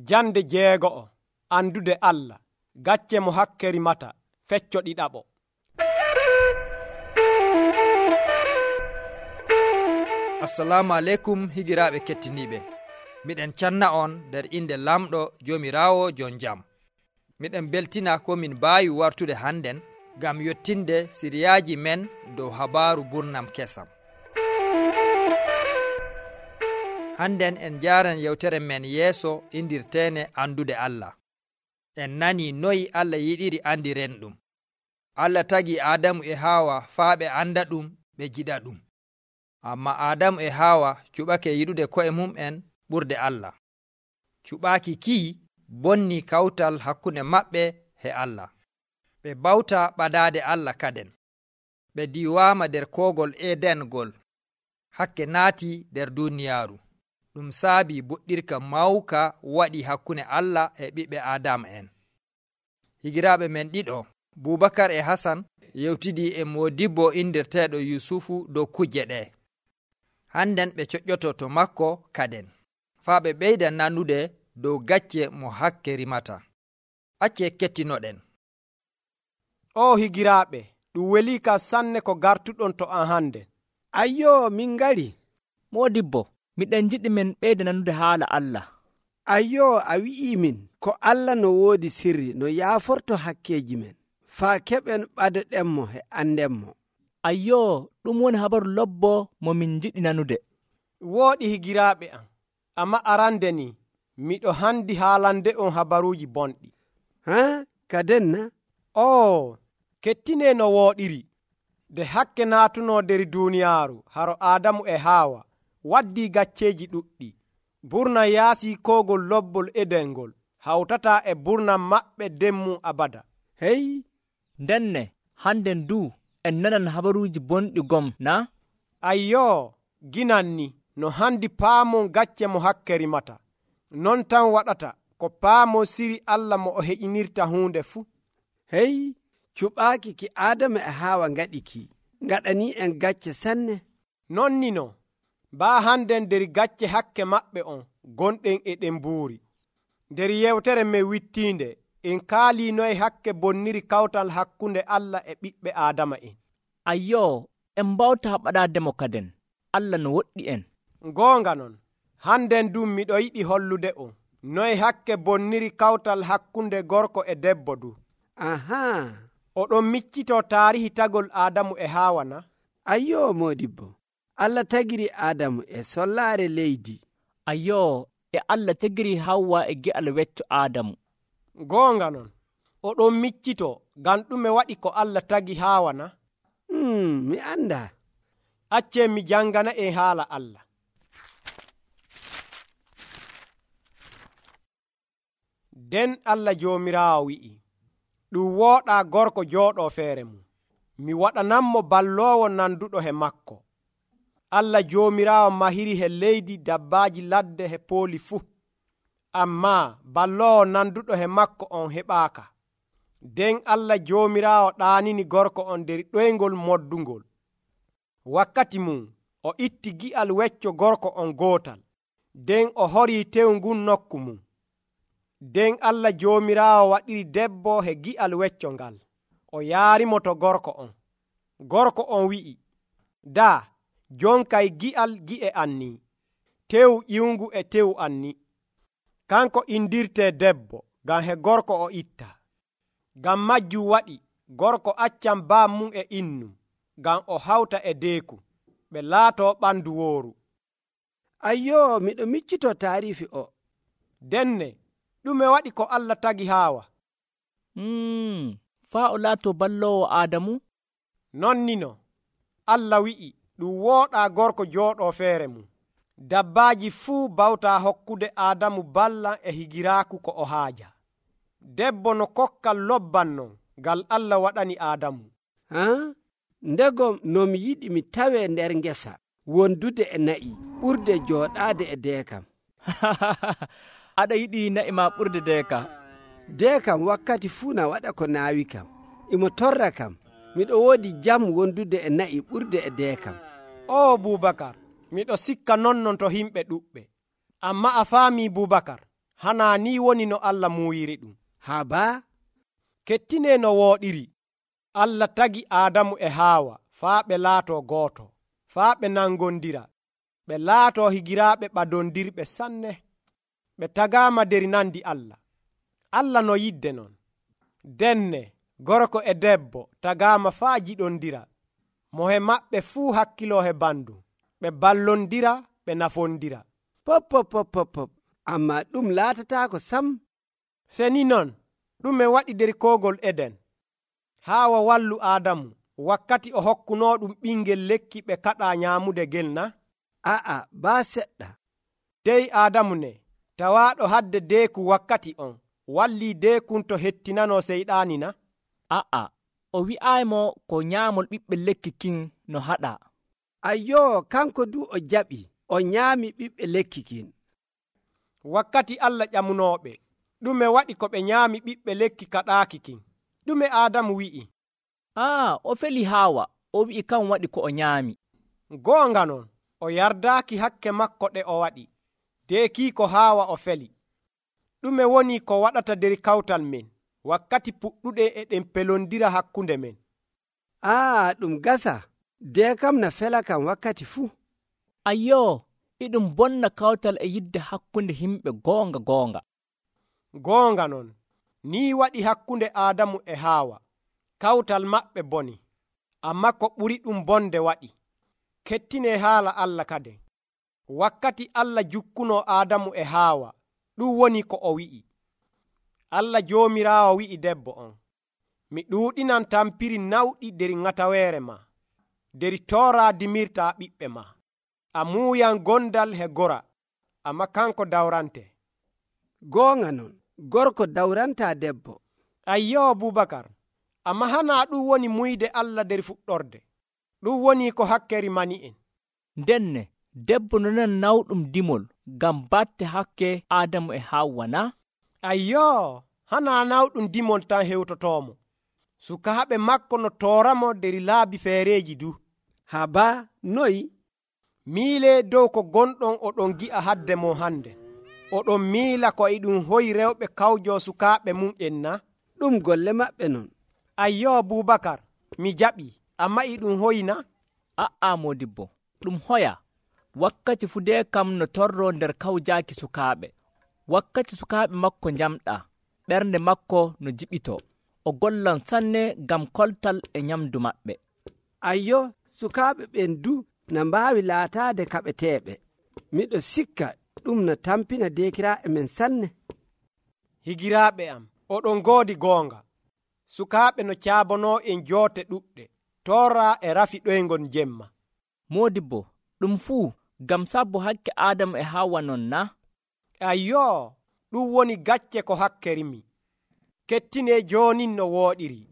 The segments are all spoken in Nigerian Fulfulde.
Jande 6 andude Allah, gacce mo hakke rimata, fecco ɗiɗaɓo. Assalamu aleykum higiraaɓe kettiniiɓe. Miɗen canna on nder inde lamɗo Joomiraawo jon jam. Miɗen beltina ko min mbaawi wartude hannden ngam yottinde siriyaaji men dow habaaru burnam kesam. Hannden en njaaran yewtere men yeeso indirteene andude Allah. En nanii noyi Allah yiɗiri andiren ɗum. Allah tagi Aadamu e Haawa faa ɓe anda ɗum ɓe jiɗa ɗum. Amma Aadamu e Haawa cuɓake yiɗude ko'e mum'en ɓurde Allah. Cuɓaaki kii bonni kawtal hakkunde maɓɓe e Allah. Ɓe bawta ɓadaade Allah kaden. Ɓe diiwaama nder koogol Edengol. Hakke naati nder duuniyaaru. Ɗum saabi boɗɗirka mawka waɗi hakkunde Allah e ɓiɓɓe Aadama'en. Higiraaɓe men ɗiɗo, Bubakar e Hasan, yewtidii e moodibbo indirteeɗo Yusufu dow kuje ɗe. Hannden ɓe coƴƴoto to makko kaden, faa ɓe ɓeyda nanude dow gacce mo hakke rimata. Acce kettinoɗen. O higiraaɓe, ɗum welii ka sanne ko gartuɗon to an hande. Ayyo, min ngari. Moodibbo, miɗen jiɗi men ɓeyda nanude haala Allah. Ayyo, a wi'ii min ko Allah no woodi sirri no yaaforto hakkeeji men, faa keɓen ɓadoɗenmo e andenmo. Ayyo, ɗum woni habaru lobbo mo min jiɗi nanude. Wooɗi higiraaɓe am, amma arande ni miɗo handi haalande on habaruuji bonɗi. Kaden na? O, kettine no wooɗiri. Nde hakke naatuno nder duuniyaaru haro Aadamu e Haawa waddii gacceeji ɗuɗɗi. Burnam yaasi koogol lobbol Edengol hawtataa e burnam maɓɓe demmu abada. Hey, ndenne hannden du en nanan habaruuji bonɗi gom na? Ayyo, ginan ni no handi paamon gacce mo hakke rimata. Non tan waɗata ko paamo siri Allah mo o heƴinirta huunde fuu. hey, cuɓaaki ki Aadama e Haawa ngaɗiki, ngaɗanii en gacce sanne. Non ni no, baa hannden nder gacce hakke maɓɓe on gonɗen e ɗen mbuuri. Nder yewtere men wittiinde en kaalii noye hakke bonniri kawtal hakkunde Allah e ɓiɓɓe Aadama'en. Ayyo, en mbawtaa ɓadaademo kaden. Allah no woɗɗi en. Goonga non, hannden du miɗo yiɗi hollude on noye hakke bonniri kawtal hakkunde gorko e debbo du. Ahaa, Oɗon miccitoo taarihi tagol Aadamu e Haawa na? ayyo moodibbo, Allah tagiri Aadamu e sollaare leydi. Ayyo, e Allah tegiri Hawwa e ge'al wecco Aadamu. Goonga non, oɗon miccitoo ngam ɗume waɗi ko Allah tagi Haawa na? Mi anda. Accee mi jangana en haala Allah. Den Allah Joomiraawo wi'i, ɗum wooɗaa gorko jooɗoo feere mum. Mi waɗananmo balloowo nanduɗo he makko. Allah Joomiraawo mahiri he leydi dabbaaji ladde he pooli fuu. Ammaa balloowo nanduɗo he makko on heɓaaka. Den Allah Joomiraawo ɗaanini gorko on nder ɗoyngol moddungol. Wakkati mum o itti gi'al wecco gorko on gootal. Den o horii tew ngun nokku mum. Den Allah Joomiraawo waɗiri debbo he gi'al wecco ngal. O yaarimo to gorko on. Gorko on wi'i, daa, jonkay gi'al gi'e anni, tew ƴiwngu e tew anni. Kanko indirtee debbo, ngam he gorko o itta. Ngam majjum waɗi, gorko accan baa mum e innum, ngam o hawta e deeku, ɓe laatoo ɓandu wooru. Ayyo, miɗo miccitoo taarifi o. Denne, ɗume waɗi ko Allah tagi Haawa? Faa o laatoo balloowo Aadamu? Non ni no, Allah wi'i ɗum wooɗaa gorko jooɗoo feere mum. Dabbaaji fuu bawtaa hokkude Aadamu ballan e higiraaku ko o haaja. Debbo no kokkal lobban non, ngal Allah waɗani Aadamu. Ndego no mi yiɗi mi tawee nder ngesa wondude e na'i ɓurde jooɗaade e deekam. Aɗa yiɗi na'i ma ɓurde deeka? Deekam wakkati fuu na waɗa ko naawi kam. Imo torra kam. Miɗo woodi jam wondude e na'i ɓurde e deekam. O Bubakar, miɗo sikka nonnon to himɓe ɗuɓɓe. Amma a faami Bubakar, hana ni woni no Allah muuyiri ɗum. haa baa Kettine no wooɗiri, Allah tagi Aadamu e Haawa faa ɓe laato gooto, faa ɓe nangondira, ɓe laato higiraaɓe ɓadondirɓe sanne. Ɓe tagaama der nandi Allah. Allah no yidde non. Denne, gorko e debbo tagaama faa jiɗondira. Mohe maɓɓe fuu hakkiloo he bandu. Ɓe ballondira, ɓe nafondira. pop. Ammaa ɗum laatataako sam. Seni non, ɗume waɗi der koogol Eden? Haawa wallu Aadamu wakkati o hokkunoo ɗum ɓingel lekki ɓe kaɗaa nyaamude gel na? A'a, baa seɗɗa. Dey Aadamu ne, tawaaɗo hadde deeku wakkati on, wallii deekun to hettinanoo seyɗaani na? a'a o wi'aymo ko nyaamol ɓiɓɓe lekki kin no haɗa. Ayyoo, kanko du o jaɓi, o nyaami ɓiɓɓe lekki kin. Wakkati Allah ƴamunooɓe, ɗume waɗi ko ɓe nyaami ɓiɓɓe lekki kaɗaaki kin? Ɗume Aadamu wi'i? o feli Haawa, o wi'i kan waɗi ko o nyaami. Goonga non, o yardaaki hakke makko ɗe o waɗi, deekii ko Haawa o feli. Ɗume woni ko waɗata der kawtal men, wakkati puɗɗuɗe e ɗen pelondira hakkunde men? Ɗum gasa, dee kam na fela kam wakkati fuu. Ayyoo, iɗum bonna kawtal e yidde hakkunde himɓe goonga. Goonga non, ni waɗi hakkunde Aadamu e Haawa. Kawtal maɓɓe boni, amma ko ɓuri ɗum bonde waɗi. Kettine haala Allah kaden. Wakkati Allah jukkunoo Aadamu e Haawa, ɗum woni ko o wi'i. Allah Joomiraawo wi'i debbo on, mi ɗuuɗinan tampiri nawɗi der ŋataweere ma, der toora dimirtaa ɓiɓɓe ma. A muuyan gondal he gora, amma kanko dawrante. Goonga non, gorko dawrantaa debbo. Ayyoo Bubakar, amma hana ɗum woni muyde Allah der fuɗɗorde. Ɗum woni ko hakkeri mani en. Ndenne, debbo nonan nawɗum dimol ngam batte hakke Aadamu e Hawwa na? Ayyoo, hana nawɗum dimol tan hewtotoomo. Sukaaɓe makko no tooramo der laabi feereeji du. Haa baa, noyi? Miile dow ko gonɗon oɗon gi'a hadde mo hande. Oɗon miila ko e ɗum hoyi rewɓe kawjo sukaaɓe mum en na? Ɗum golle maɓɓe non. Ayyoo Bubakar, mi jaɓi, amma e ɗum hoyi na? A'a modibbo, ɗum hoya. Wakkati fu de kam no torro nder kawjaaki sukaaɓe. Wakkati sukaaɓe makko njamɗa, ɓernde makko no jiɓito. O gollan sanne ngam koltal e nyamdu maɓɓe. Ayyo, sukaaɓe ɓen du na mbaawi laataade kaɓeteeɓe. Miɗo sikka ɗum no tampina deekiraaɓe men sanne. Higiraaɓe am, oɗon goodi goonga. Sukaaɓe no caabonoo en joote ɗuɗɗe, toora e rafi ɗoyngol jemma. Modibbo, ɗum fuu ngam sabbo hakke Aadamu e Hawwa non na? Ayyoo, ɗum woni gacce ko hakkerimi. Kettine joonin no wooɗiri.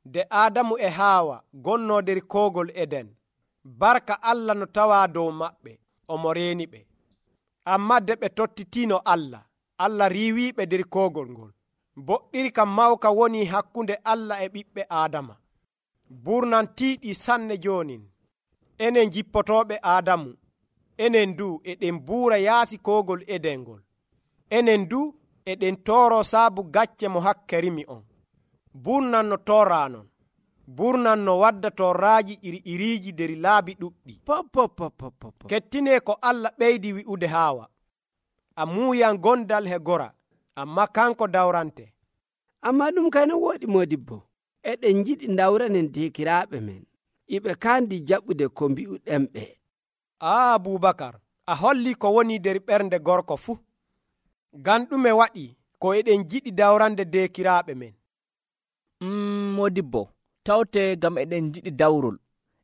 Nde Aadamu e Haawa gonnoo der koogol Eden, barka Allah no tawaa dow maɓɓe, omo reeni ɓe. Amma de ɓe tottitino Allah, Allah riiwiiɓe der koogol ngol. Boɗɗirka mawka woni hakkunde Allah e ɓiɓɓe Aadama. Burnan tiiɗi sanne joonin. Enen jippotooɓe Aadamu, enen du eɗen buura yaasi koogol Eden ngol. Enen du eɗen tooro saabu gacce mo hakkerimi on. Burnan no tooraa non. Burnan no wadda tooraaji iri-iriiji der laabi ɗuɗɗi. Kettine ko Allah ɓeydi wi'ude Haawa. A muuyan gondal he gora, amma kanko dawrante. Amma ɗum kayna wooɗi modibbo. Eɗen jiɗi dawranen deekiraaɓe men. Iɓe kaandi jaɓude ko mbi'uɗen ɓe. Bubakar, a holli ko woni der ɓernde gorko fuu. Ngam ɗume waɗi ko eɗen jiɗi dawrande deekiraaɓe men? Modibbo, tawte ngam eɗen jiɗi dawrol.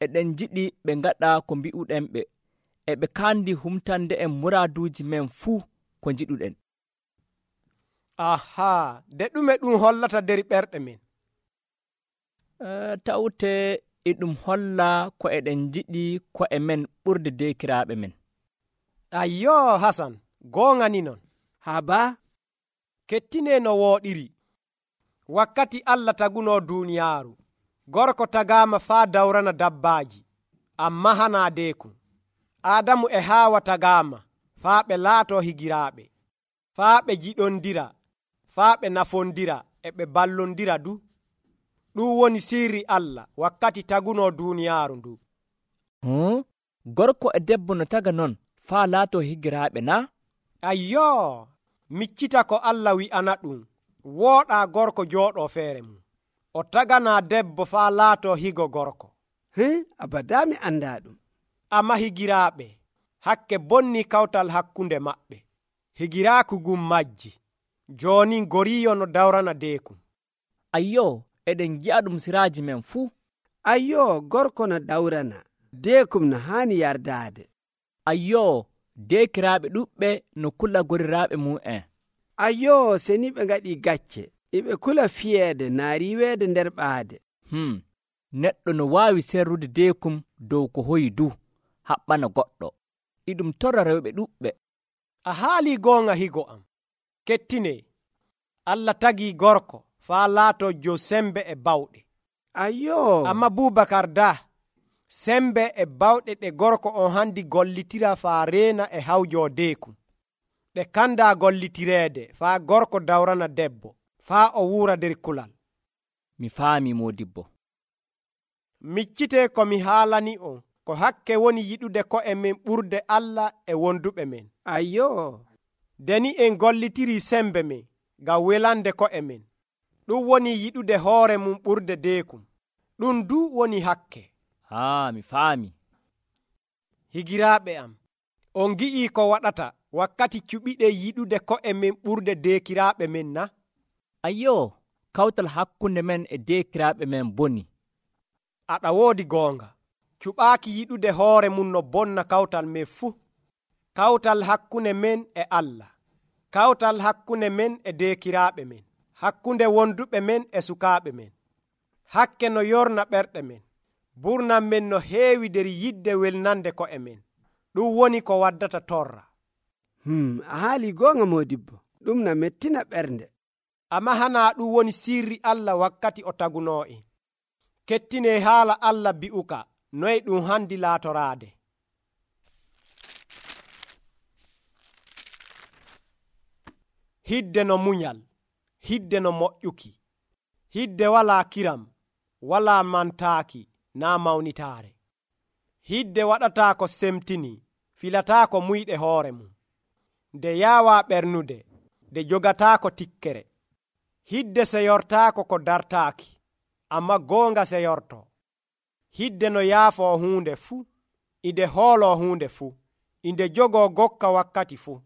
Eɗen jiɗi ɓe ngaɗa ko mbi'uɗen ɓe. Eɓe kaandi humtande en muraaduuji men fuu ko jiɗuɗen. De ɗume ɗum hollata der ɓerɗe men? Tawte e ɗum holla ko eɗen jiɗi ko e men ɓurde deekiraaɓe men. Ayyoo Hasan, goonga ni non. Haa baa, kettine no wooɗiri. Wakkati Allah tagunoo duuniyaaru, gorko tagaama faa dawrana dabbaaji, amma hana deeku. Aadamu e Haawa tagaama faa ɓe laatoo higiraaɓe. faa ɓe jiɗondira, faa ɓe nafondira e ɓe ballondira du. ɗum woni sirri Allah wakkati taguno duuniyaaru ndu. Gorko e debbo no taga non faa laato higiraaɓe na? Ayyoo, miccita ko Allah wi'ana ɗum. Wooɗaa gorko jooɗoo feere mum. O taganaa debbo faa laato higo gorko. Abadaa mi anndaa ɗum. Amma higiraaɓe, hakke bonni kawtal hakkunde maɓɓe. Higiraaku gum majji. Jooni goriyo no dawrana deekum. Ayyoo, eɗen gi'a ɗum siraaji men fuu. Ayyoo, gorko no dawrana, deekum no haani yardaade. Ayyoo, deekiraaɓe ɗuɓɓe no kula goriraaɓe mum'en. Ayyoo, seni ɓe ngaɗii gacce, eɓe kula fiyeede naa riiweede nder ɓaade. Neɗɗo no waawi serrude deekum dow ko hoyi du, haɓɓana goɗɗo. Iɗum torra rewɓe ɗuɓɓe. A haalii goonga higo am. Kettine, Allah tagii gorko faa laato jo sembe e bawɗe. Ayyoo. Amma Bubakar daa, sembe e bawɗe ɗe gorko on handi gollitira faa reena e hawjo deekum. Ɗe kanda gollitireede faa gorko dawrana debbo, faa o wuura der kulal. Mi faami modibbo. Miccite ko mi haalani on, ko hakke woni yiɗude ko'e men ɓurde Allah e wonduɓe men. Ayyoo. Deni en gollitiri sembe men ngam welande ko'e men. Ɗum woni yiɗude hoore mum ɓurde deekum. Ɗum du woni hakke. Mi faami. Higiraaɓe am, on gi'ii ko waɗata wakkati cuɓiɗe yiɗude ko'e men ɓurde deekiraaɓe men na? Ayyoo, kawtal hakkunde men e deekiraaɓe men boni. Aɗa woodi goonga. Cuɓaaki yiɗude hoore mum no bonna kawtal men fuu. Kawtal hakkunde men e Allah. Kawtal hakkunde men e deekiraaɓe men. Hakkunde wonduɓe men e sukaaɓe men. Hakke no yorna ɓerɗe men. Burnam men no heewi der yidde welnande ko'e men. Ɗum woni ko waddata torra. A haalii goonga modibbo. Ɗum na mettina ɓernde. Amma hanaa ɗum woni sirri Allah wakkati o tagunoo en. Kettine haala Allah bi'uka noy ɗum handi laatoraade. Hidde no munyal, hidde no moƴƴuki. Hidde walaa kiram, walaa mantaaki, naa mawnitaare. Hidde waɗataa ko semtini, filataa ko muyɗe hoore mum. Nde yaawaa ɓernude, nde jogataako tikkere. Hidde seyortaako ko dartaaki, amma goonga seyortoo. Hidde no yaafoo huunde fuu, inde hooloo huunde fuu, inde jogoo gokka wakkati fuu,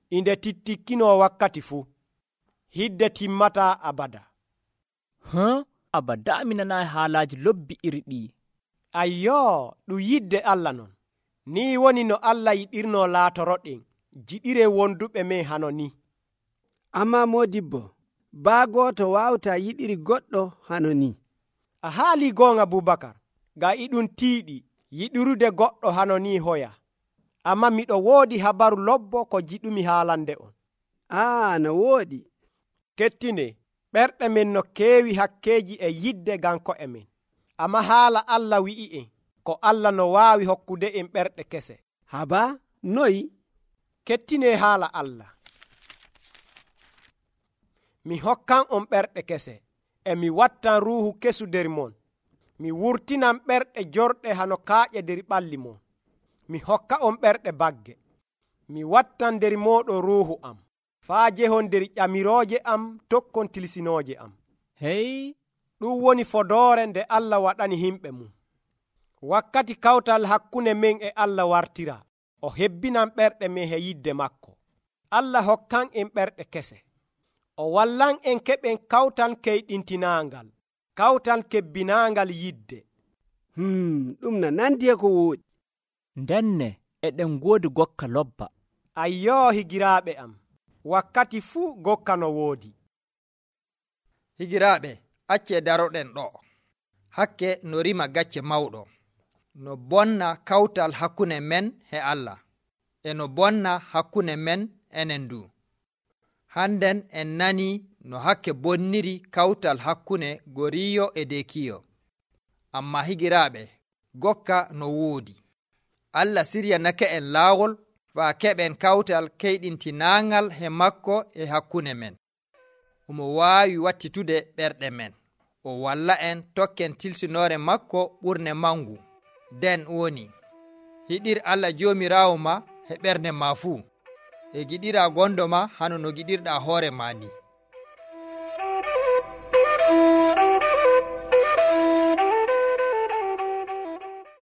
inde tittikkinoo wakkati fuu. Hidde timmataa abada. Abada mi nanaayi haalaaji lobbi iri ɗii. Ayyoo, ɗum yidde Allah non. Nii woni no Allah yiɗirnoo laatoroɗen, jiɗire wonduɓe men hano ni. Amma modibbo, baa gooto waawtaa yiɗiri goɗɗo hano ni. A haalii goonga Bubakar, ga iɗum tiiɗi yiɗirude goɗɗo hano ni hoya. Amma miɗo woodi habaru lobbo ko jiɗumi haalande on. No wooɗi. Kettine, ɓerɗe men no keewi hakkeeji e yidde ngam ko'e men. Amma haala Allah wi'i en ko Allah no waawi hokkude en ɓerɗe kese. Haba, noyi? Kettine haala Allah. Mi hokkan on ɓerɗe kese, e mi wattan ruuhu kesu der mon. Mi wurtinan ɓerɗe jorɗe hano kaaƴe der ɓalli mon. Mi hokka on ɓerɗe bagge. Mi wattan der mooɗon ruuhu am, faa jehon der ƴamirooje am tokkon tilsinooje am. Hey, ɗum woni fodoore nde Allah waɗani himɓe mum. Wakkati kawtal hakkunde men e Allah wartira, o hebbinan ɓerɗe men he yidde makko. Allah hokkan en ɓerɗe kese. O wallan en keɓen kawtal keyɗintinaangal, kawtal kebbinaangal yidde. Ɗum na nandiye ko wooɗi. Ndenne eɗen ngoodi gokka lobba. Ayyoo higiraaɓe am, wakkati fuu gokka no woodi. Higiraaɓe, accee daroɗen ɗo. Hakke no rima gacce mawɗo, no bonna kawtal hakkunde men e Allah, e no bonna hakkunde men enen du. Hannden en nani no hakke bonniri kawtal hakkunde goriyo e dekiyo. Amma higiraaɓe, gokka no woodi. Allah siryanake en laawol faa keɓen kawtal keyɗintinaaŋal he makko e hakkunde men. Omo waawi wattitude ɓerɗe men, o walla en tokken tilsinoore makko ɓurne mangu. Den woni, hiɗir Allah Joomiraawo ma he ɓernde ma fuu, e giɗira gondo ma hano no giɗirɗaa hoore ma ni.